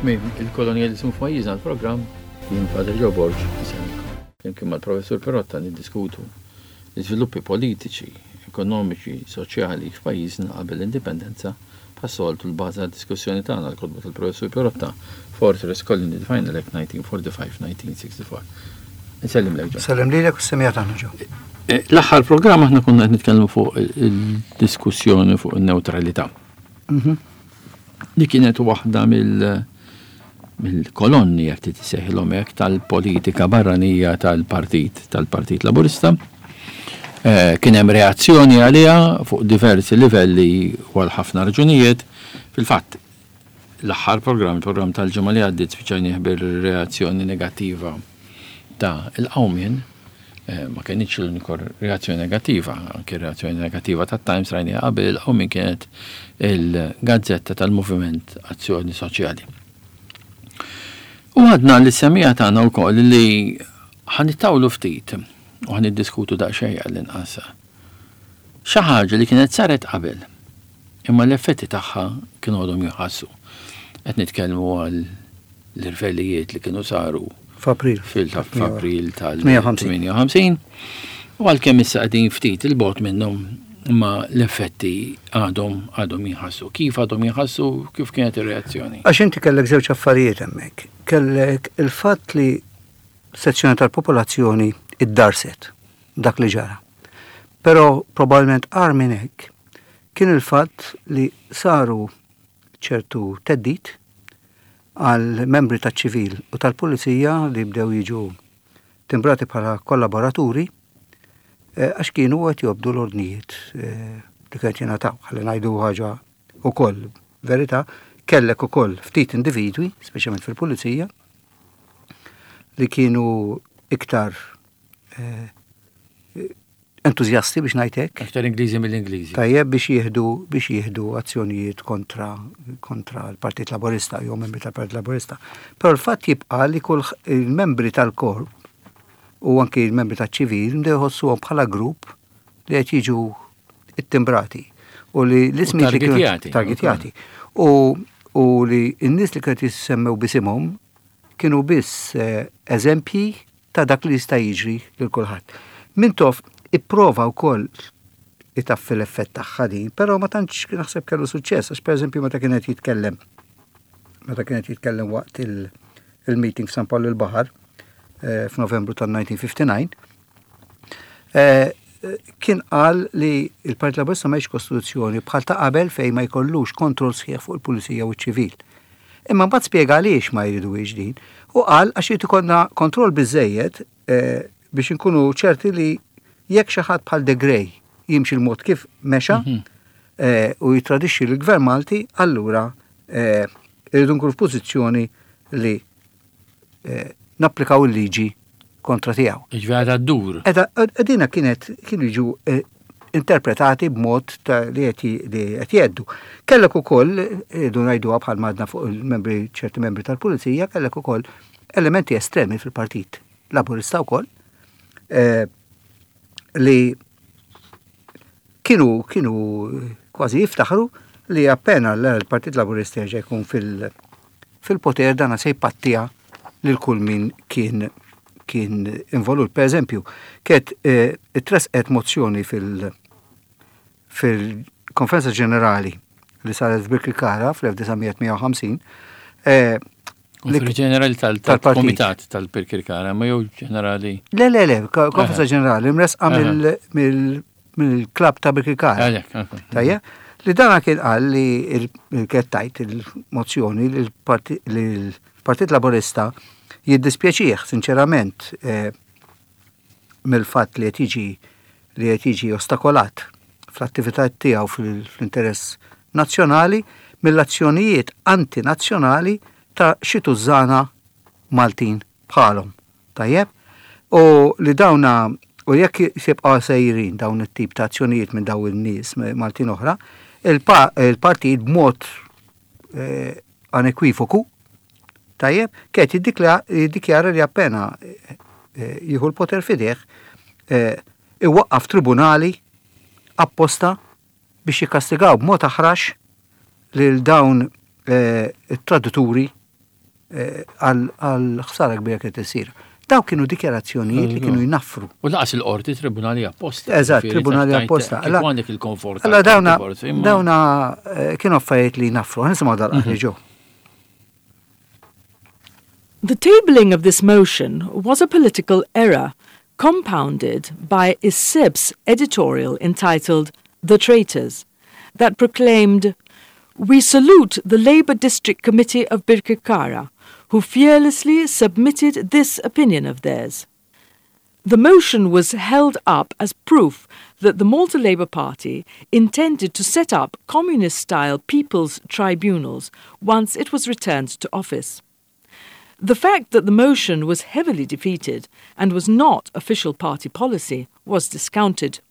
Tmiem il-kolonjaliżmu f'pajjiżna l-programm jien Padre Joe Borg insellmilkom. Flimkien mal-Professur Perotta niddiskutu l-iżviluppi politiċi, ekonomiċi, soċjali f'pajjiżna qabel l-Indipendenza bħas-soltu l-bażi għad-diskussjoni tagħna l-kotba tal-Professur Perotta Fortress Colony the Final Act 1945-1964. Insellimlek Joe. Sellem lilek u s-semija tagħna Joe. Eh, l-aħħar programm aħna konna qed nitkellmu fuq il-diskussjoni fuq in-newtralità. Mhm. Li kienet waħda mill mill-kolonni jekk trid issejħilhom hekk tal-politika barranija tal-partit tal-Partit Laburista. Eh, kien hemm reazzjoni għaliha fuq diversi livelli u għal ħafna raġunijiet. Fil-fatt, l-aħħar programm, il-programm tal-ġimgħa li għaddiet spiċċajnieh bir-reazzjoni negattiva ta' il-qawmien eh, ma kienx l-uniku reazzjoni negattiva, anki reazzjoni negattiva ta' Times rajniha qabel il-qawmien kienet il-gazzetta tal-Moviment Azzjoni Soċjali. U għadna li semija tagħna wkoll li ħanittawlu ftit u ħaniddiskutu daqsxejn għall-inqas. Xi ħaġa li kienet saret qabel, imma l-effetti tagħha kienu għadhom jinħassu. Qed nitkellmu għal l-irvellijiet li kienu saru f'April fil-April tal-58. U għalkemm issa qegħdin ftit il-bot minnhom imma l-effetti għadhom għadhom jinħassu. Kif għadhom jinħassu, kif kienet ir-reazzjoni? Għax inti kellek żewġ affarijiet hemmhekk. Kellek il-fatt li sezzjoni tal-popolazzjoni iddarset dak li ġara. Però probabbilment agħar minn hekk kien il-fatt li saru ċertu theddid għal membri taċ-ċivil u tal-pulizija li bdew jiġu timbrati bħala kollaboraturi eh, għax kienu qed jobdu l-ordnijiet eh, li kienet jingħataw. Ħalli ngħidu ħaġa ukoll verità, kellek ukoll ftit individwi, speċjalment fil-pulizija, li kienu iktar eh, entużjasti biex ngħid hekk. Aktar Ingliżi mill-Ingliżi. Tajjeb biex jieħdu biex jieħdu azzjonijiet kontra kontra l-Partit Laburista jew membri tal-Partit Laburista. Però l-fatt jibqa' li kull il-membri tal-korp u anki l-membri taċ-ċivil bdew jħossuhom bħala grupp li qed jiġu ittimbrati u li l-ismijiet li kienu targetjati u u li n-nies li kienu jissemmew bisimhom kienu biss eh, eżempji ta' dak li jista' jiġri lil kulħadd. Mintoff ipprova wkoll itaffi l-effett tagħha din, però ma tantx naħseb kellu suċċess għax pereżempju meta kien qed jitkellem meta kien qed jitkellem waqt il-meeting f'San Pawl il-Baħar eh, f'Novembru tal-1959, eh, kien qal li il-Partit Laburista ma kostituzzjoni bħal ta' qabel fejn ma jkollux kontroll sħiħ fuq il-pulizija u ċ-ċivil. Imma mbagħad spjega għaliex ma jriduhiex din u qal għax irid ikollna kontroll biżżejjed eh, biex inkunu ċerti li jekk xi ħadd bħal De Grey jimxi l-mod kif mexa mhm. eh, u jitradixxi l-Gvern Malti, allura eh, irridu nkunu f'pożizzjoni li napplikaw il-liġi kontra tiegħu. Ġifieri għadha ddur. Edina kienet kienu jiġu eh, interpretati b'mod li qed jgħeddu. Kellek ukoll, idu ngħiduha bħal madna fuq il-membri ċerti membri tal-pulizija, kellek ukoll elementi estremi fil-partit laburista wkoll eh, li kienu kienu kważi jiftaħru li appena l-Partit Laburista jerġa' jkun fil- fil-poter dana se jpattija lil kull min kien kien involut. Per eżempju, kiet eh, tresqet mozzjoni fil- fil-Konferenza Ġenerali li saret f'Birkirkara fl-1958 eh, Konferenza ġenerali tal-Komitat tal-Birkirkara, ma jew ġenerali. Le, le, le, konferenza ġenerali mresqa mill-klab ta' Birkirkara. Tajja, li dana kien qal li kienet tajt il-mozzjoni li l-Partit Laburista jiddispjaċih sinċerament eh, mill-fatt li qed jiġi li qed jiġi ostakolat fl-attività tiegħu fl-interess nazzjonali mill-azzjonijiet antinazzjonali ta' xi tużżana Maltin bħalhom. Tajjeb? U li dawna u jekk jibqgħu sejrin dawn it-tip ta' azzjonijiet minn dawn in-nies Maltin oħra, il-partit b'mod eh, anekwivoku, tajjeb, kienet jiddikjara li appena eh, jieħu l-poter fideh eh, iwaqqaf tribunali apposta biex jikkastigaw b'mod aħrax lil dawn it-tradituri. Għal ħsara kbira kienet issir. Daw kienu dikjarazzjonijiet li kienu jnaffru. U laqas il-qorti tribunali apposta. Eżatt, tribunali apposta. Għandek il-komfort. Alla dawna dawna eh, kienu affarijiet li jnaffru. Nisimgħu dal-qahri mhm. ġew. The tabling of this motion was a political error compounded by Isib's editorial entitled The Traitors that proclaimed We salute the Labour District Committee of Birkirkara, who fearlessly submitted this opinion of theirs. The motion was held up as proof that the Malta Labour Party intended to set up communist-style people's tribunals once it was returned to office. The fact that the motion was heavily defeated and was not official party policy was discounted.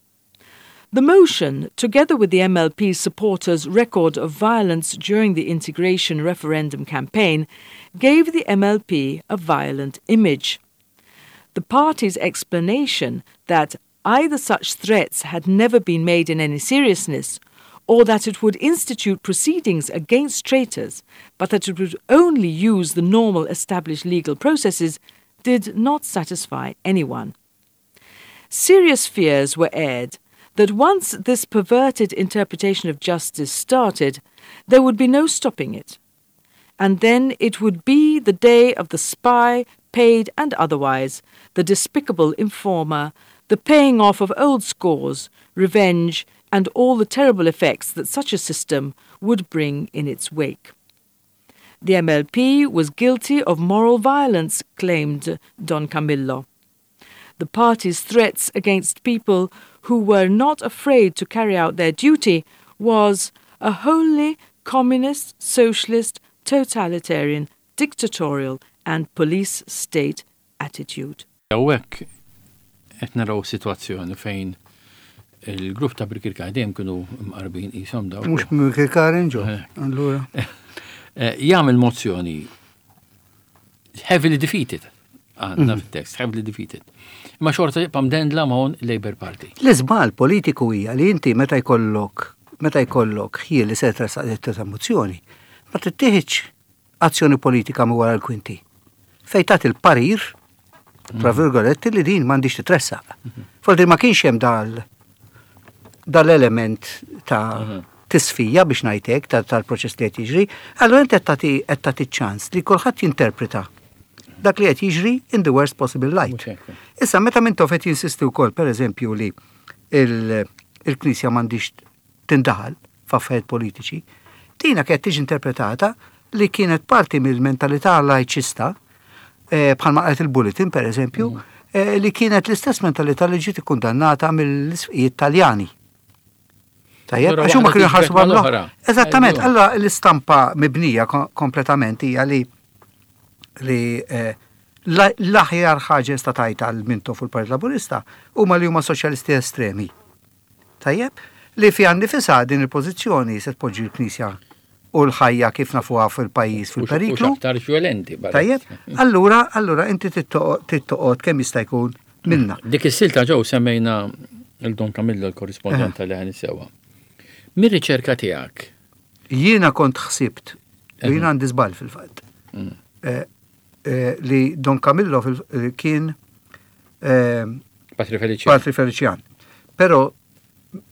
The motion, together with the MLP supporters' record of violence during the integration referendum campaign, gave the MLP a violent image. The party's explanation that either such threats had never been made in any seriousness or that it would institute proceedings against traitors, but that it would only use the normal established legal processes, did not satisfy anyone. Serious fears were aired that once this perverted interpretation of justice started, there would be no stopping it. And then it would be the day of the spy, paid and otherwise, the despicable informer, the paying off of old scores, revenge, and all the terrible effects that such a system would bring in its wake. The MLP was guilty of moral violence, claimed Don Camillo. The party's threats against people who were not afraid to carry out their duty was a wholly communist, socialist, totalitarian, dictatorial and police state attitude. Hawnhekk qed naraw sitwazzjoni fejn il-grupp ta' Birkirkara dejjem kienu mqarbin qishom dawk. Mhux Birkirkarin ġo, allura. Eh, jagħmel mozzjoni heavily defeated għandna mhm. fit-tekst, heavily defeated. Imma xorta jibqa' mdendla ma' Labour Party. L-iżbal politiku hija li inti meta jkollok meta jkollok ħjiel li se tressaq ta' mozzjoni, ma tittieħidx azzjoni politika minn wara l-kwinti. Fejn tagħti il-parir, tra mhm. virgoletti, li din m'għandix titressaq. Mhm. Forsi ma kienx hemm dal dal-element ta' mhm. tisfija biex ngħidlek tal-proċess li qed jiġri, allura inti qed tagħti ċans li kulħadd jinterpreta dak li qed jiġri in the worst possible light. Issa meta Mintoff qed jinsisti wkoll pereżempju li il-Knisja m'għandix tindaħal f'affarijiet politiċi, dina kienet tiġi interpretata li kienet parti mill-mentalità lajċista, eh, bħalma qalet il-Bulletin per eżempju, mm. eh, li kienet l-istess mentalità li ġiet ikkundannata mill-isqijiet Taljani. Tajjeb, għax huma kienu jħarsu l-oħra. Eżattament, allora l-istampa mibnija kompletament hija li li eh, l-aħjar ħaġa sta tajt għal Mintoff u l-Partit Laburista huma li huma soċjalisti estremi. Tajjeb, li fiha nnifisha din il-pożizzjoni se tpoġġi l-Knisja u l-ħajja kif nafuha fil-pajjiż fil-periklu. Aktar violenti. Tajjeb, allura, allura inti tittoqgħod kemm jista' jkun minna. Dik is-silta ġew semmejna il-Don Camillo l-korrispondent eh. tal sewa. Mir-riċerka tiegħek. Jiena kont ħsibt, u jiena għandi żball fil-fatt, mm. eh, eh, li Don Camillo kien Patri Felician. Patri Felician. Però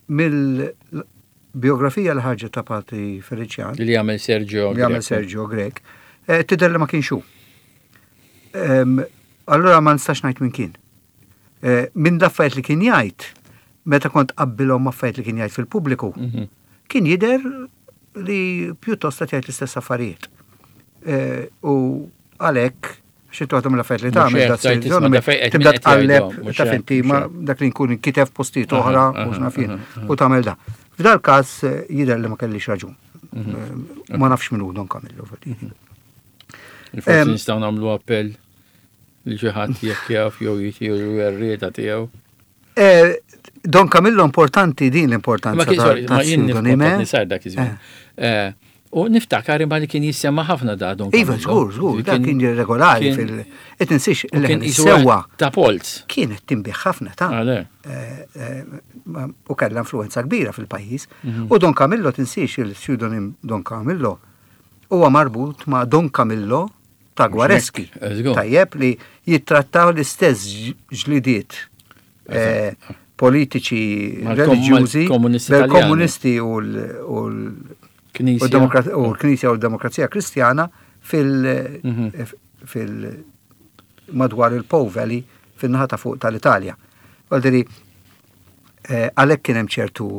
mill-biografija li ħarġet ta' Patri Felician. Li għamel Sergio. Li għamel Sergio Grek. Eh, tidher li ma kienx hu. Allura ma nistax ngħid min kien. Eh, minn l-affarijiet li kien jgħid, meta kont qabbilhom affarijiet li kien jgħid fil-pubbliku, mhm. kien jidher li pjuttost qed jgħid l-istess affarijiet. Eh, u għalhekk Xi toħdom l-affarijiet li tagħmel da tibda tqalleb ta' finti ma dak li nkun inkitef postijiet oħra u x'naf jien u tagħmel da. F'dal każ eh, jidher li ma kellix raġun. Mhm. Eh, ma nafx min hu Don Camillo. Mhm. Forsi nistgħu nagħmlu appell li xi ħadd jekk jaf jew jitiru r-rieda tiegħu. Eh, Don Camillo importanti din l-importanza. Ma kien ma jien nisar dak iż-żmien. Eh. Eh, u niftakar imma li kien jissemma ħafna da Don Iva, żgur, żgur, da kien regolari fil. Qed insix il-sewwa. Ta' Polz. Kienet tinbih ħafna ta' U kellha influenza kbira fil-pajjiż. Mhm. U Don Camillo tinsiex il-pseudonym Don Camillo huwa marbut ma' Don Camillo. ta' Guareschi. Tajjeb li jittrattaw l-istess ġlidiet eh, politiċi reliġjużi komunisti u l-Knisja u l-Demokrazija Kristjana fil- mhm. fil- madwar il-Po Valley fin-naħa ta' fuq tal-Italja. Għaldiri, eh, għalhekk kien hemm ċertu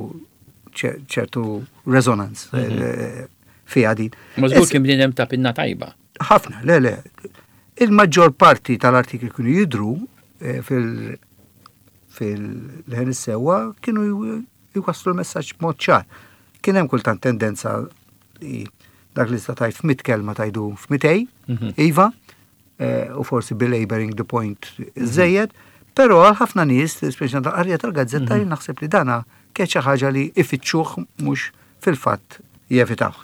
ċertu resonance mhm. eh, fiha din. Ma żgur kien bniedem ta' pinna tajba. Ħafna, le, le. Il-maġġor parti tal-artikli kienu jidru eh, fil- fil-ħen is-sewwa kienu jwasslu l-messaġġ b'mod ċar. Kien hemm kultant tendenza li dak li sta tajt f'mit kelma tajdu f'mitej, mhm. iva, eh, u forsi belaboring the point mhm. żejjed, però għal ħafna nies, speċjalment tal-qarja tal-gazzetta, mhm. naħseb li dana kien xi ħaġa li ifittxuh mhux fil-fatt jevitawh.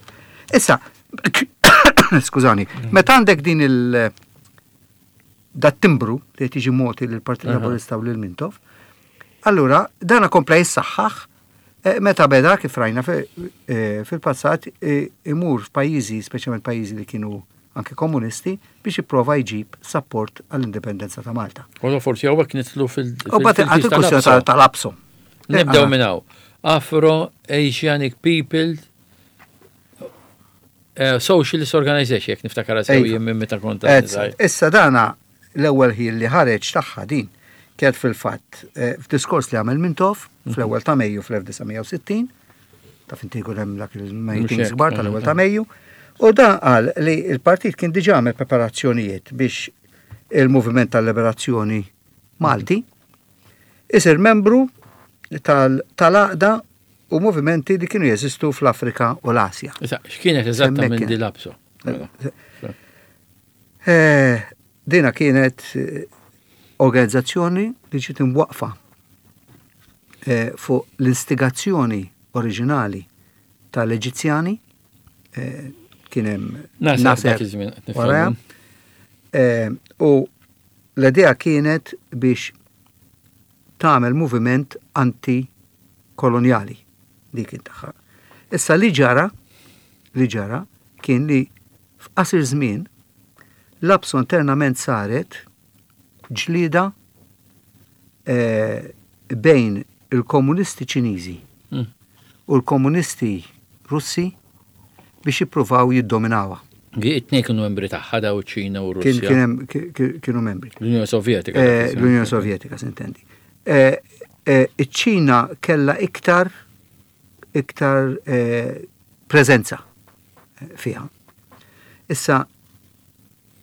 Issa, skużani, mhm. meta għandek din il- dat timbru li qed jiġi moti lill-Partit Laburista u lil Mintoff, allura dana kompla jissaħħaħ eh, meta beda kif rajna eh, fil-passat eh, imur f'pajjiżi, speċjalment pajjiżi li kienu anke komunisti, biex jipprova jġib sapport għall-indipendenza ta' Malta. U forsi hawnhekk nidħlu fil- U bat il-kwistjoni tal-APSO. Nibdew minn hawn. Afro-Asianic People eh, Socialist Organization, jekk niftakar sew jien minn meta kont. Issa dana l-ewwel ħin li ħareġ tagħha din kienet fil-fatt eh, f'diskors li għamel Mintoff mhm. fl-ewwel ta' Mejju fl-1960 taf inti jkun hemm dak il-meetings kbar tal-ewwel ta' Mejju, u dan qal li l-partit kien diġà għamel preparazzjonijiet biex il-Moviment tal-Liberazzjoni Malti isir membru tal-għaqda u movimenti li kienu jeżistu fl-Afrika u l-Asja. Issa, x'kienet eżattament di l-APSO? Eh, dina kienet eh, organizzazzjoni li ġiet imwaqqfa eh, fuq l-instigazzjoni oriġinali tal-Eġizzjani kien hemm Nasser wara. U l-idea kienet biex tagħmel moviment anti-kolonjali dik kien tagħha. Issa li ġara li ġara kien li F'qasir żmien, l-APSO internament saret ġlieda bejn il-komunisti Ċiniżi u l-komunisti Russi biex jippruvaw jiddominawha. It-tnejn kienu membri tagħha daw iċ-Ċina u r-Russja. Kienu membri. L-Unjoni Sovjetika. L-Unjoni Sovjetika, s'intendi. Iċ-Ċina kellha iktar iktar preżenza fiha. Issa,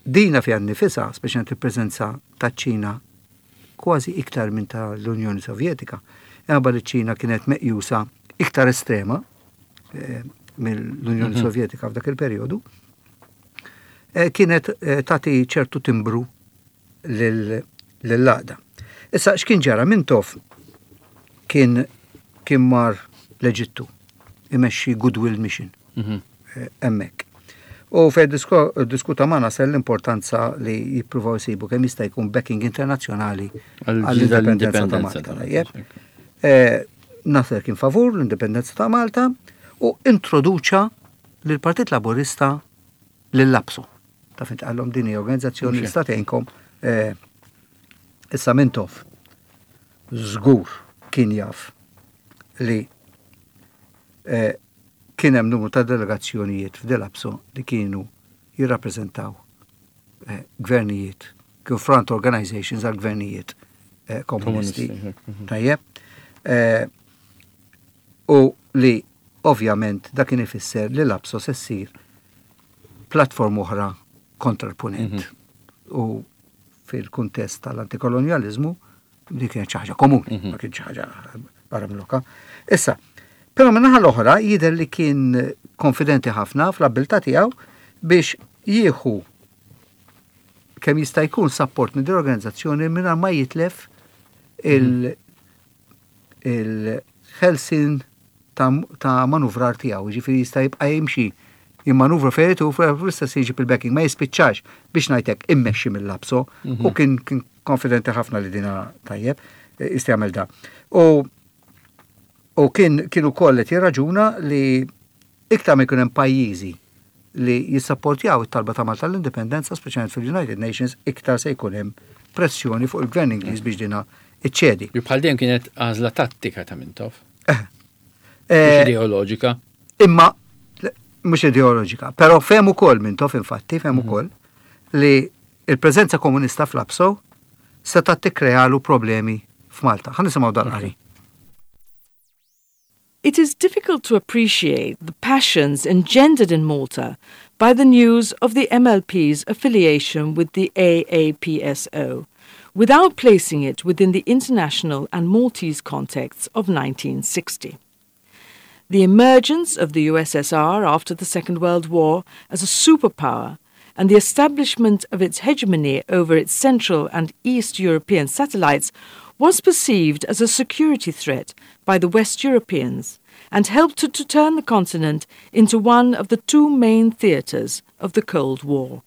dina fiha nnifisha, speċjalment il-preżenza taċ-Ċina kważi iktar minn ta' l-Unjoni Sovjetika, imħabba li ċ-Ċina kienet meqjusa iktar estrema eh, mill-Unjoni mhm. Sovjetika f'dak il-perjodu, eh, kienet eh, tagħti ċertu timbru lill-għaqda. Issa x'kien ġara Mintoff kien kien mar l-Eġittu imexxi Goodwill Mission mhm. eh, hemmhekk. U fej diskuta ma' Nasser l-importanza li jippruvaw jsibu kemm jista' jkun backing internazzjonali għall-indipendenza ta' Malta. Eh, Nasser kien favur l-indipendenza ta' Malta u introduċa lill-Partit Laburista lill-APSO. Taf int qallhom din hija organizzazzjoni li statejnkom eh, issa Mintoff żgur kien jaf li eh, kien hemm numru ta' delegazzjonijiet f'Delapso li kienu jirrappreżentaw eh, gvernijiet, kienu front organizations għal gvernijiet komunisti. Mhm. Tajjeb. U li ovvjament dak kien ifisser li l-APSO se ssir platform oħra kontra l-punent. Mhm. U fil-kuntest tal-antikolonjalizmu li kienet xi ħaġa komuni, mhm. ma kien xi ħaġa barra mloka. Issa, però minnaħa l-oħra jidher li kien konfidenti ħafna fl-abilità tiegħu biex jieħu kemm jista' jkun support minn din l-organizzazzjoni mingħajr ma jitlef il- mhm. il-ħelsien ta' manuvrar tiegħu, jiġifieri jista' jibqa' jimxi jimmanuvra fejn irid u fl-istess jġib il-backing, ma jispiċċax biex ngħidlek immexxi mill-APSO mhm. u kien kien konfidenti ħafna li dina tajjeb eh, jista' jagħmel da. U u kien kien ukoll qed jirraġuna li iktar ma jkun hemm pajjiżi li jissapportjaw it-talba ta' Malta l-indipendenza, speċjalment fil-United Nations, iktar se jkun hemm pressjoni fuq il-gvern Ingliż biex dina iċċedi. Bħal dejjem kienet għażla tattika ta' Mintoff. Eh. Eh, ideoloġika. Imma mhux ideoloġika, però fehem ukoll Mintoff infatti, fehem mhm. ukoll li il-preżenza komunista fl-APSO seta' tikkrealu problemi f'Malta. Ħa nisimgħu dal-qari. It is difficult to appreciate the passions engendered in Malta by the news of the MLP's affiliation with the AAPSO, without placing it within the international and Maltese contexts of 1960. The emergence of the USSR after the Second World War as a superpower and the establishment of its hegemony over its Central and East European satellites was perceived as a security threat by the West Europeans and helped to, to turn the continent into one of the two main theatres of the Cold War.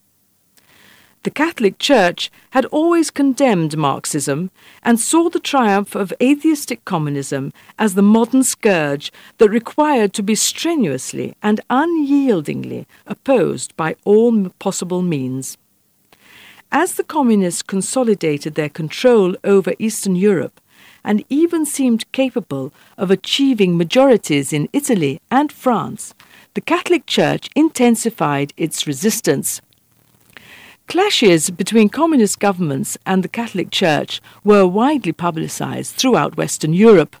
The Catholic Church had always condemned Marxism and saw the triumph of atheistic communism as the modern scourge that required to be strenuously and unyieldingly opposed by all possible means. As the communists consolidated their control over Eastern Europe and even seemed capable of achieving majorities in Italy and France, the Catholic Church intensified its resistance. Clashes between communist governments and the Catholic Church were widely publicized throughout Western Europe,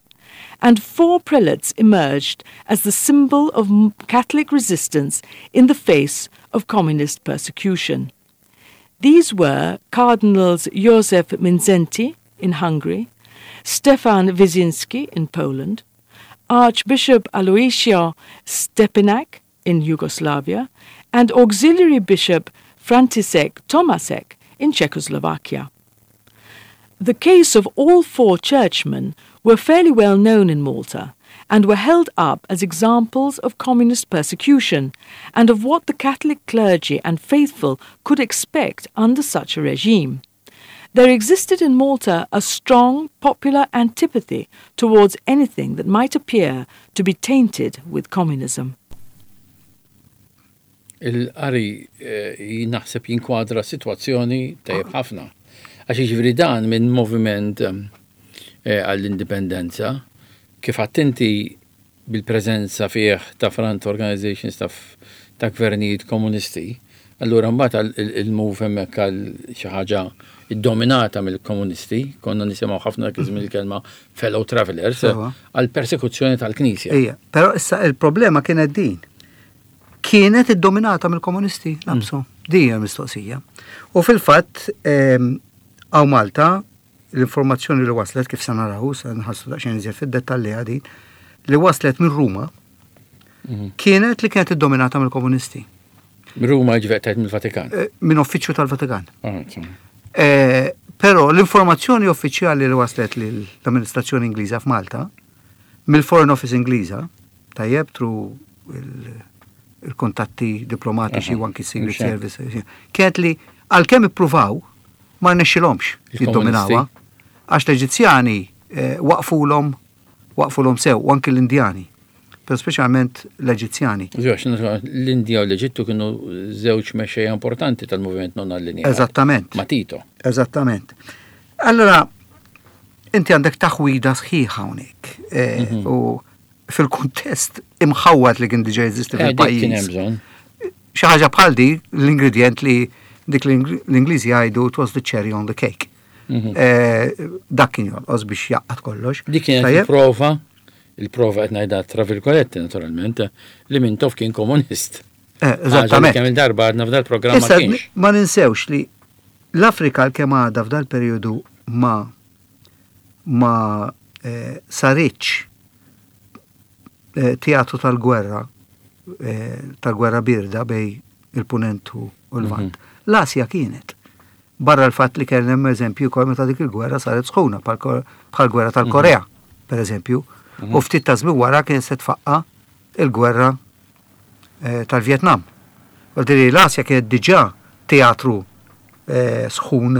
and four prelates emerged as the symbol of Catholic resistance in the face of communist persecution. These were Cardinals Josef Mindszenty in Hungary, Stefan Wyszynski in Poland, Archbishop Aloisio Stepinac in Yugoslavia, and Auxiliary Bishop František Tomasek in Czechoslovakia. The case of all four churchmen were fairly well known in Malta and were held up as examples of communist persecution and of what the Catholic clergy and faithful could expect under such a regime. There existed in Malta a strong popular antipathy towards anything that might appear to be tainted with communism. Il-qari eh, naħseb jinkwadra situazzjoni tajjeb ħafna. Għax jiġifieri dan minn moviment eh, għall-indipendenza, kif għedt inti bil-preżenza fih ta' front organizations ta', ta' gvernijiet komunisti, allura mbagħad il-move hemmhekk għal xi ħaġa iddominata mill-komunisti, konna nisimgħu ħafna dak iż-żmien il-kelma fellow travelers, għal persekuzzjoni tal-Knisja. Ija, però issa il-problema kienet din. Kienet iddominata mill-komunisti, l-APSO. Din hija mistoqsija. U fil-fatt, hawn Malta, l-informazzjoni li waslet, kif se naraw, se nħassu daqsxejn iżjed fid-dettalji għadin, li waslet minn Ruma, kienet li kienet iddominata mill-komunisti. Ruma ġveqtet mill-Vatikan. Minn uffiċċju tal-Vatikan. Ah, eh, Però l-informazzjoni uffiċjali li waslet l-amministrazzjoni Ingliża f'Malta, mill-Foreign Office Ingliża, tajjeb, through il-kontatti diplomatiċi u anki Secret Service, kienet li għalkemm ippruvaw ma rnexxilhomx jiddominawha, għax l-Eġizzjani eh, waqfulhom waqfulhom sew, u anki l-Indjani, pero speċjalment l-Eġizzjani. L-Indja u l-Eġittu kienu żewġ mexxejja importanti tal-moviment non allineat. Eżattament. Ma' Tito. Eżattament. Allora, inti għandek taħwida sħiħa hawnhekk. Eh, U fil-kuntest imħawwad li kien diġà jeżisti Eh, dik kien hemm fil-pajjiż. bżonn. Xi ħaġa bħal di, l-ingredient li dik l-Ingliżi jgħidu it was the cherry on the cake. Eh, Dak kien jonqos biex jaqgħad kollox. Dik kienet Tajjeb? il-prova, il-prova qed ngħidha tra virgoletti naturalment, li Mintoff kien komunist. Eh, Eżattament. Kemm il-darba għadna f'dal programm ma Issa, kienx. ma ninsewx li l-Afrika l-kemm għadha f'dal periodu ma ma eh, saritx eh, teatru tal-gwerra eh, tal-gwerra birda bejn il-punent u l-Lvant. L-Asja kienet. Barra l-fatt li kien hemm eżempju wkoll meta dik il-gwerra saret sħuna bħal gwerra tal-Korea, per eżempju. U ftit ta' żmien wara kien se tfaqqa il-gwerra eh, tal-Vietnam. Għaldiri l-Asja kienet diġà teatru eh, sħun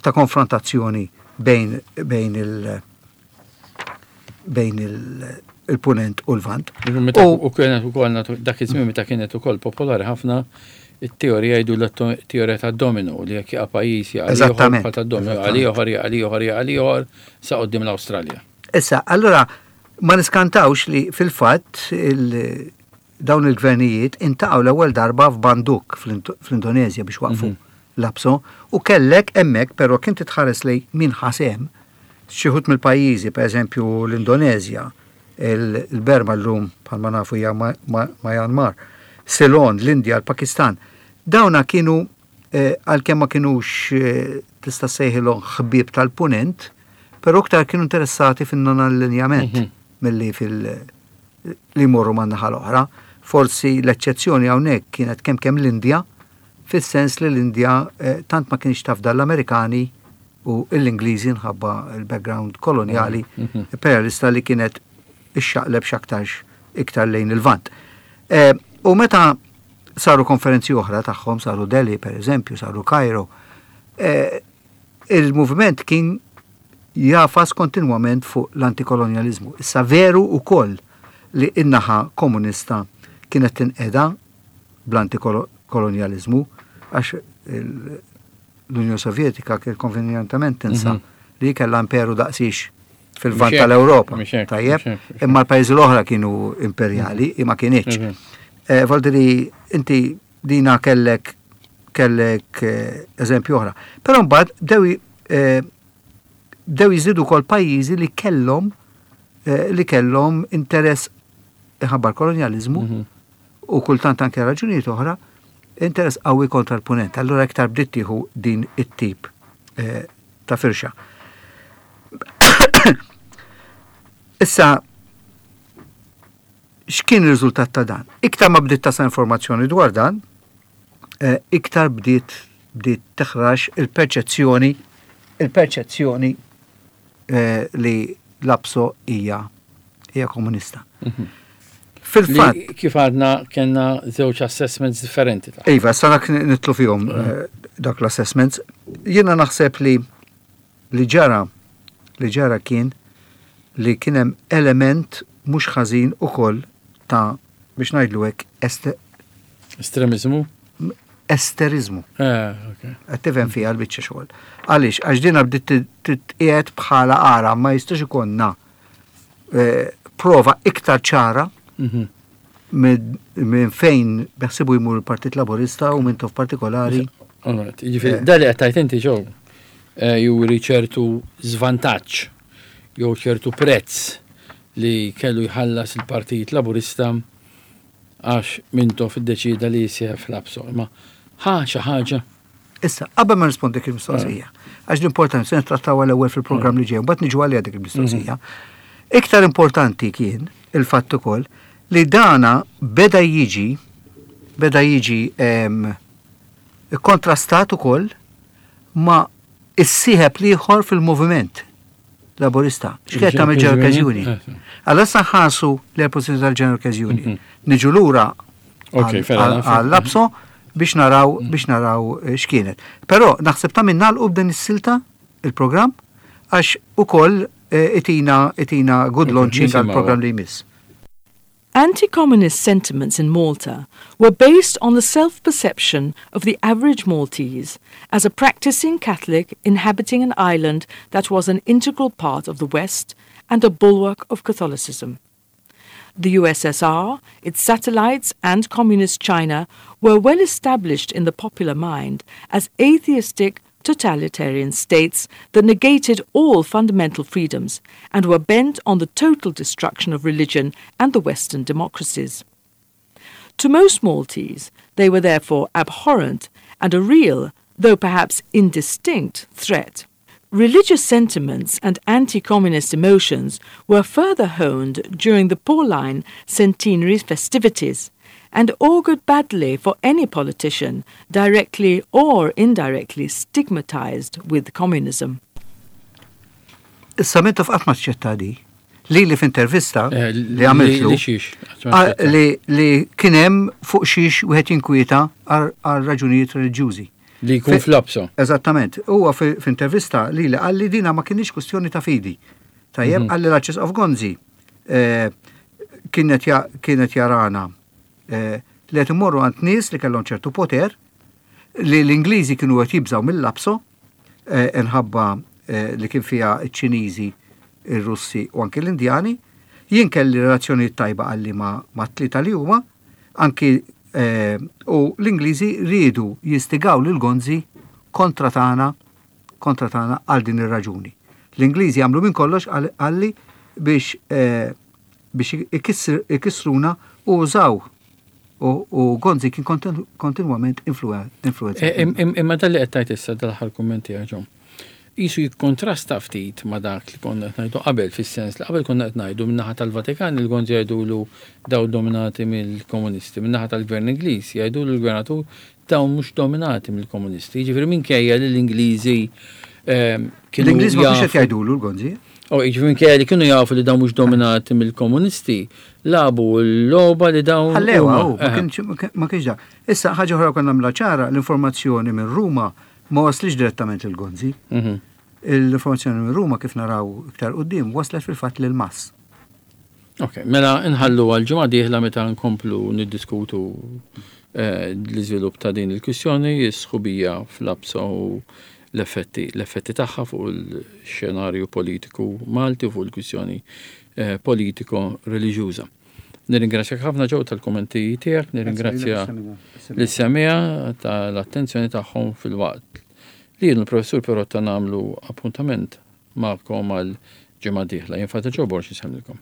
ta' konfrontazzjoni bejn, bejn il bejn il il-punent u l-vant. U kienet ukoll dak iż-żmien meta kienet ukoll popolari ħafna it-teorija jgħidu l-teorija ta' domino li jekk jaqa' pajjiż jaqa' Eżattament. Ta' domino għal ieħor jaqa' ieħor jaqa' ieħor sa quddiem l-Awstralja. Issa, allura ma niskantawx li fil-fatt dawn il-gvernijiet intaqgħu l-ewwel darba f'Bandung fl-Indonezja biex waqfu mhm. l-APSO u kellek hemmhekk però kien titħares lej min ħasem xi wħud mill-pajjiżi, pereżempju l-Indonezja, il-Berma llum bħalma nafu hija Myanmar, Ceylon, l-Indja, l-Pakistan. Dawna kienu eh, għalkemm ma kinux eh, tista' sejħilhom ħbieb tal-punent, però iktar kienu interessati fin-non-allinjament mhm. milli fil- li jmorru man-naħa l-oħra. Forsi l-eċċezzjoni hawnhekk kienet kemm kemm l-Indja, fis-sens li l-Indja eh, tant ma kienx tafda l-Amerikani u l-Ingliżi nħabba l-background kolonjali mhm. imperialista li kienet ixxaqleb x'aktarx iktar lejn il-Lvant. Eh, u meta saru konferenzi oħra tagħhom, saru Delhi per eżempju, saru Cairo, eh, il-moviment kien jafas kontinwament fuq l-antikolonjalizmu. Issa veru ukoll li in-naħa komunista kienet tinqeda bl-antikolonjalizmu għax l-Unjoni Sovjetika kien konvenjentament tinsa mhm. li kellha imperu daqsix fil-vant tal-Ewropa. Tajjeb, imma l-pajjiżi l-oħra kienu imperjali, mhm. imma kienieċ. Mhm. Eh, Valdiri, inti dina kellek kellek eh, eżempju oħra. Però mbagħad bdew eh, bdew jiżdiedu wkoll pajjiżi li kellhom eh, li kellhom interess ħabba l-kolonjaliżmu mhm. u kultant anke raġunijiet oħra, interess qawwi kontra l-punent. Allura iktar bdiet tieħu din it-tip ta' firxa. Issa, x'kien ir-riżultat ta' dan? Iktar ma bdiet tasal informazzjoni dwar dan, eh, iktar bdiet bdiet teħrax il-perċezzjoni il-perċezzjoni eh, li l-APSO hija hija komunista. Mhm. Fil-fatt. Kif għadna kellna żewġ assessments differenti. Iva, sa dak nitlu fihom mhm. eh, dak l-assessments. Jiena naħseb li li ġara li ġara kien li kien hemm element mhux ħażin ukoll ta' biex ngħidlu hekk Estremiżmu? Esteriżmu. Eh, Qed tifhem fiha l-biċċa xogħol. Għaliex għax dina bdiet titqiegħed bħala ara ma jistax ikollna eh, prova iktar ċara mhm. minn fejn beħsibu jmur il-Partit Laburista u minn tof partikolari. Jiġifieri, eh. dali qed tajt inti ġew juri ċertu żvantaġġ jew ċertu prezz li kellu jħallas il-Partit Laburista għax Mintoff iddeċieda li jissieħeb fl-APSO. Imma ħa xi ħaġa? Issa, qabel ma nrispondi dik il-mistoqsija, għax l-importanti se nittrattawha l-ewwel fil-programm li ġej, mbagħad niġu għaliha dik il-mistoqsija. Mhm. Iktar importanti kien il-fatt ukoll li dana beda jiġi beda jiġi kontrastat ukoll ma' is-sieħeb l-ieħor fil-moviment Laburista. X'kienet tagħmel General Workers Union? Allora issa nħarsu l-pożizzjoni tal-General Workers Union. Mhm. Niġu lura għall-APSO biex naraw mhm. biex naraw eh, x'kienet. Però naħseb ta' minn nagħlqu b'din is-silta il-programm għax ukoll eh, itina itina good launching għall-programm li jmiss. Anti-communist sentiments in Malta were based on the self-perception of the average Maltese as a practicing Catholic inhabiting an island that was an integral part of the West and a bulwark of Catholicism. The USSR, its satellites and Communist China were well established in the popular mind as atheistic, totalitarian states that negated all fundamental freedoms and were bent on the total destruction of religion and the Western democracies. To most Maltese, they were therefore abhorrent and a real, though perhaps indistinct, threat. Religious sentiments and anti-communist emotions were further honed during the Pauline centenary festivities and augured badly for any politician directly or indirectly stigmatized with communism. Issa Mintoff qatt ma aċċetta di. Lili f'intervista eh, li għamiltlu li li kien hemm fuq xiex wieħed jinkwieta għal raġunijiet reliġjużi. Li jkun fl-APSO. Eżattament. Huwa f'intervista li li qalli dina ma kienx kwestjoni ta' fidi. Tajjeb, mhm. qalli l-Arċisqof Gonzi eh, Kienet jarana eh, li qed imorru għand nies li kellhom ċertu poter, li l-Ingliżi kienu qed jibżgħu mill-LAPSO eh, inħabba eh, li kien fiha ċ-Ċiniżi, ir-Russi u anki l-Indjani. Jien kelli relazzjonijiet tajba qalli ma' tlieta li huma, anki u l-Ingliżi riedu jistigaw lil Gonzi kontra tagħna kontra tagħna għal din ir-raġuni. L-Ingliżi għamlu minn kollox qalli biex eh, biex ikissruna u użaw u Gonzi kien kontinwament influenzat. E, imma dan li qed tgħid issa dal-aħħar kumment tiegħek John. Qisu jikkontrasta ftit ma' dak li konna qed ngħidu qabel fis-sens li qabel konna qed ngħidu min-naħa tal-Vatikan il-Gonzi jgħidulu dawn dominati mill-komunisti, min-naħa tal-Gvern Ingliż jgħidulu l-gvernatur dawn mhux dominati mill-komunisti. Jiġifieri minkejja li l-Ingliżi ehm, kienu. L-Ingliżi ma kienx qed jgħidulu l-Gonzi. Oh, jiġifieri minkejja li kienu jafu li dawn mhux dominati mill-komunisti, lagħbu l-logħba li dawn. Ħallewa, oh, ma kienx dak. Issa ħaġa oħra konna nagħmilha ċara, l-informazzjoni minn Ruma ma waslitx direttament lil Gonzi. Mhm. L-informazzjoni minn Ruma kif naraw iktar quddiem waslet fil-fatt lil Mass. Ok, mela nħallu għal ġimgħa dieħla meta nkomplu niddiskutu eh, l-iżvilupp ta' din il-kwistjoni, is-sħubija fl-APSO u l-effetti l-effetti tagħha fuq il-xenarju politiku Malti u fuq il-kwistjoni eh, politiko reliġjuża. Nirringrazzjak ħafna ġew tal-kummenti tiegħek, nirringrazzja lis-semija tal-attenzjoni tagħhom fil-waqt li jien il-professur Perotta nagħmlu appuntament magħkom għal ġimgħa dieħla. Jien Father Joe Borg insellmilkom.